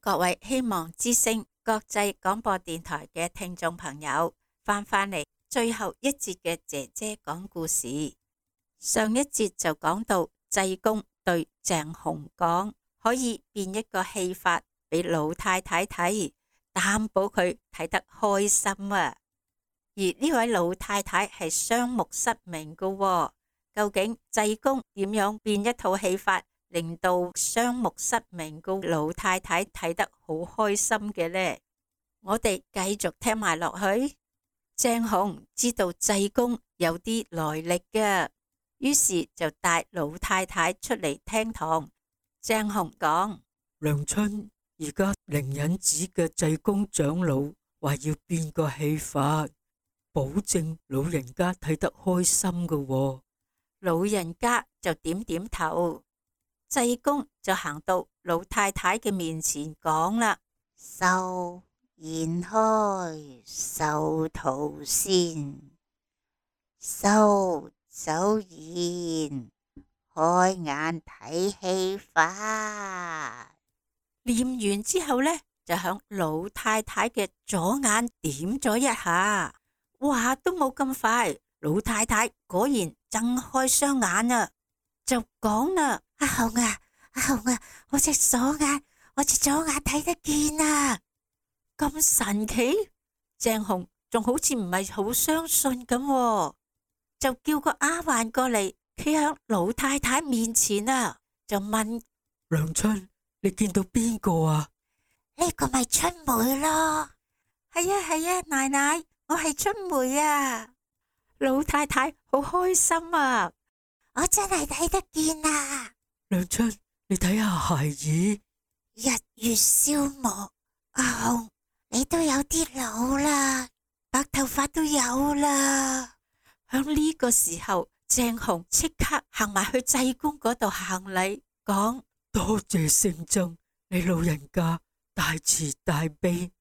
各位希望之聲國際廣播電台嘅聽眾朋友返嚟最後一節嘅姐姐講故事。上一節就講到濟公對鄭雄講，可以變一個戲法俾老太太睇，擔保佢睇得開心啊。而呢位老太太係雙目失明㗎喎，究竟濟公點樣變一套戲法令到雙目失明嘅老太太睇得好開心嘅呢？我哋繼續聽埋落去。鄭雄知道濟公有啲來歷嘅，於是就帶老太太出嚟廳堂。鄭雄講：娘親，而家靈隱寺嘅濟公長老話要變個戲法，保證老人家睇得開心㗎喎。老人家就點點頭。濟公就行到老太太嘅面前講啦：手延開，手圖先，手走現，開眼睇戲法。念完之後呢，就響老太太嘅左眼點咗一下，話都冇咁快，老太太果然睜開雙眼啊，就講啦：阿雄啊，阿雄啊，我隻左眼睇得見啊！咁神奇？鄭雄仲好似唔係好相信咁喎，就叫個丫鬟過嚟，企喺老太太面前啊，就問：娘親，你見到邊個啊？呢個咪春梅咯。係啊，奶奶，我係春梅啊！老太太好開心啊！我真係睇得見啊！娘親，你睇下孩兒，日月消磨，阿雄，你都有啲老啦，白頭髮都有啦。響呢個時候，鄭雄即刻行埋去濟公嗰度行禮，講：多謝聖僧，你老人家大慈大悲，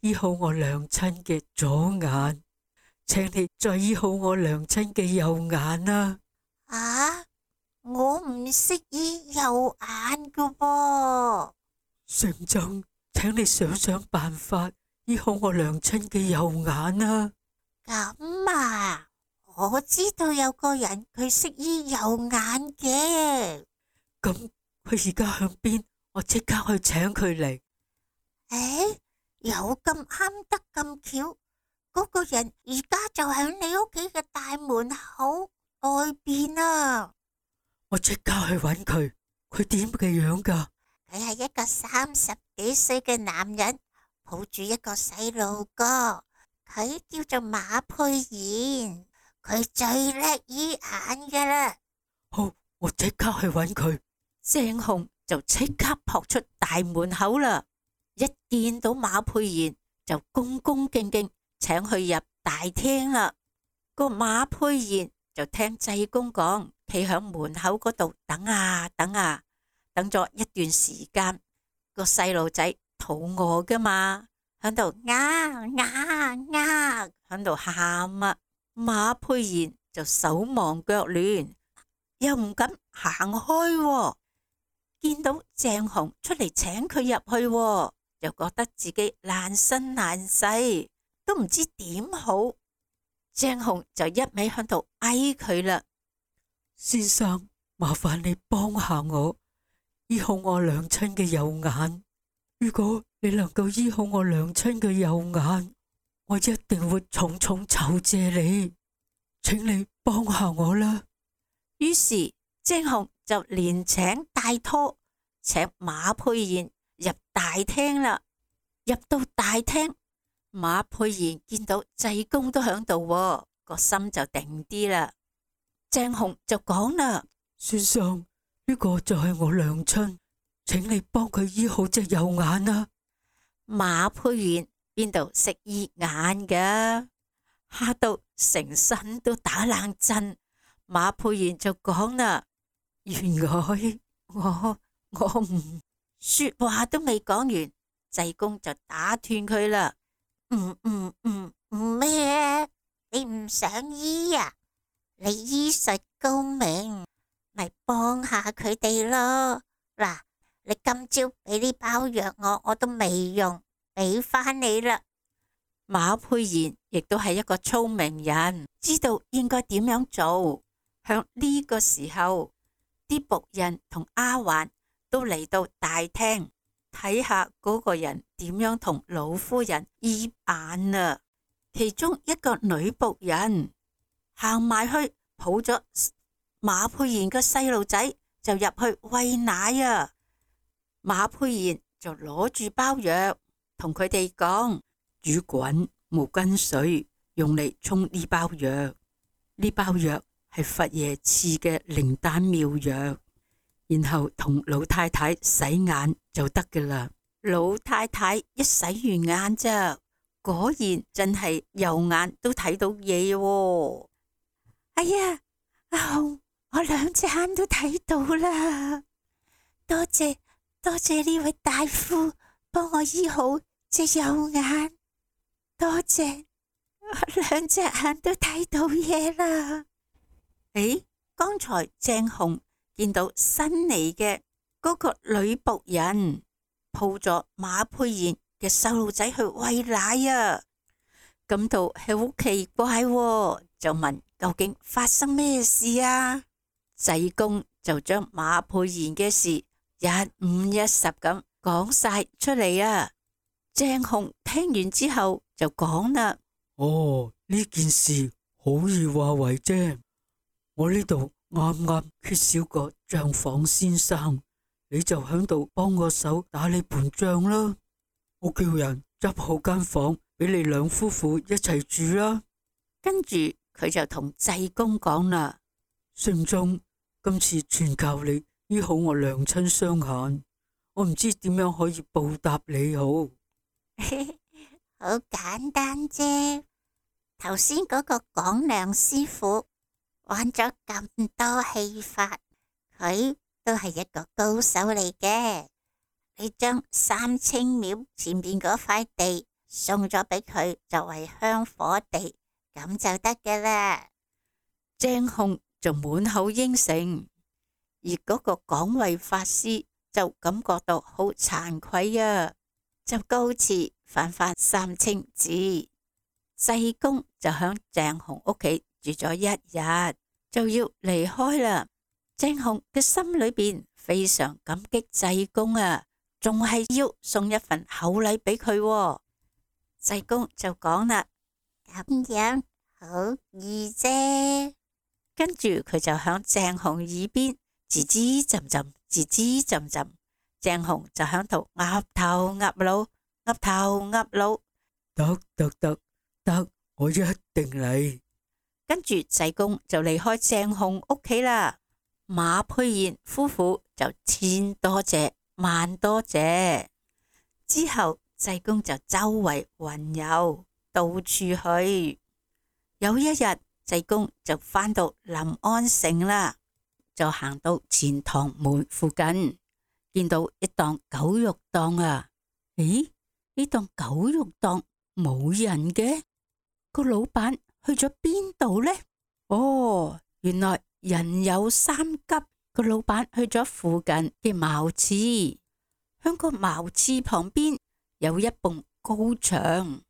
醫好我娘親嘅左眼，請你再醫好我娘親嘅右眼啊！啊！我唔識醫右眼噶噃。聖僧，請你想辦法醫好我娘親嘅右眼啊！咁啊，我知道有個人佢識醫右眼嘅。咁佢而家響邊？我即刻去請佢嚟。誒，有咁啱得咁巧，嗰個人而家就喺你屋企嘅大門口外邊啊！我即刻去揾佢。佢點嘅樣噶？佢係一個30幾歲嘅男人，抱住一個細路哥。佢叫做馬佩賢，佢最叻醫眼噶啦。好，我即刻去揾佢。鄭雄就即刻撲出大門口啦。一見到馬佩賢，就恭恭敬敬請佢入大廳啦。個馬佩賢就聽濟公講，企響門口嗰度等啊等啊，等咗一段時間。個細路仔肚餓噶嘛，響度響度喊啊。馬佩賢就手忙腳亂，又唔敢行開喎。見到鄭雄出嚟請佢入去喎，又覺得自己難身難勢，都唔知點好。鄭雄就一味響度嗌佢啦：先生，麻煩你幫下我，醫好我娘親嘅右眼。如果你能夠醫好我娘親嘅右眼，我一定會重重酬謝你，請你幫下我啦。於是鄭雄就連請帶拖，請馬佩賢入大廳啦。入到大廳，馬佩賢見到濟公都響度，個心就定啲啦。鄭雄就講啦：先生，呢個就係我娘親，請你幫佢醫好隻右眼啊。馬佩賢邊度識醫眼㗎，嚇到成身都打冷震。馬佩賢就講啦：原來我唔說話都未講完，濟公就打斷佢啦。唔咩？你唔想醫啊？你醫術高明，咪幫下佢哋咯。嗱，你今朝俾呢包藥我都未用，俾返你啦。馬佩賢亦都係一個聰明人，知道應該點樣做。響呢個時候，啲僕人同丫鬟都嚟到大廳睇下嗰個人點樣同老夫人醫眼啊。其中一個女僕人行埋去抱咗馬佩賢嘅細路仔就入去餵奶啊。馬佩賢就攞住包藥同佢哋講，煮滾毛巾水用嚟沖呢包藥，呢包藥係佛爺賜嘅靈丹妙藥，然後同老太太洗眼就得㗎喇。老太太一洗完眼咋，果然真係右眼都睇到嘢喎。哎呀，阿紅，我兩隻眼都睇到啦，多謝呢位大夫幫我醫好隻右眼，多謝，我兩隻眼都睇到嘢啦。誒，剛才鄭紅見到新嚟嘅嗰個女僕人抱咗馬佩賢嘅細路仔去餵奶啊，感到係好奇怪喎，就問究竟發生咩事啊？濟公就將馬佩賢嘅事一五一十咁講晒出嚟啊。鄭紅聽完之後就講啦：哦，呢件事好易話為啫。我呢度啱啱缺少個賬房先生，你就響度幫我手打你盤賬啦。我叫人執好間房俾你兩夫婦一齊住啦。跟住佢就同濟公講啦：聖宗，今次全靠你醫好我娘親雙眼，我唔知點樣可以報答你好。好簡單啫，頭先嗰個廣亮師傅玩咗咁多戲法，佢都係一個高手嚟嘅。你將三清廟前邊嗰塊地送咗俾佢作為香火地，咁就得㗎啦。鄭紅就滿口應承，而嗰個廣慧法師就感覺到好慚愧啊，就告辭返三清寺。濟公就響鄭紅屋企住咗一日，就要離開啦。鄭紅嘅心裏邊非常感激濟公啊，仲係要送一份厚禮俾佢。濟公就講啦：咁樣好易啫。跟住佢就響鄭紅耳邊吱吱浸浸，吱吱浸浸。鄭紅就響度岌頭岌腦，岌頭岌腦。得，我一定嚟。跟住濟公就離開鄭紅屋企啦。馬佩賢夫婦就千多謝萬多謝。之後濟公就周圍雲遊，到處去。有一日，濟公就返到臨安城啦，就行到錢塘門附近，見到一檔狗肉檔啊。咦，呢檔狗肉檔冇人嘅？個老闆去咗邊度呢？哦，原來人有三急，個老闆去咗附近嘅茅廁，響個茅廁旁邊有一埲高牆，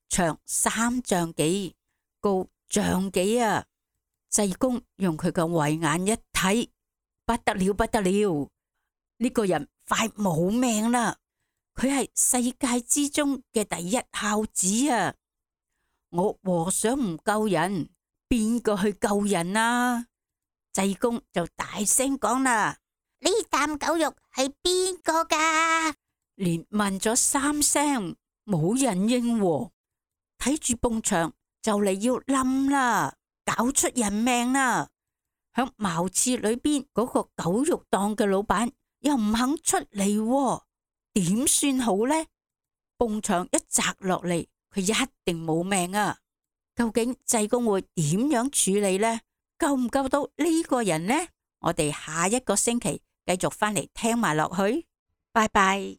長3丈幾，高丈幾啊！濟公用佢個慧眼一睇，不得了不得了，呢個人快冇命啦！佢係世界之中嘅第一孝子啊！我和尚唔救人，邊個去救人啊？濟公就大聲講啦：呢啖狗肉係邊個噶？連問咗3聲，冇人應喎。睇住埲牆就嚟要冧啦，搞出人命啦！響茅廁裏邊嗰個狗肉檔嘅老闆又唔肯出嚟喎，點算好呢？埲牆一砸落嚟，佢一定冇命啊！究竟濟公會點樣處理呢？救唔救到呢個人呢？我哋下一個星期繼續翻嚟聽埋落去。拜拜。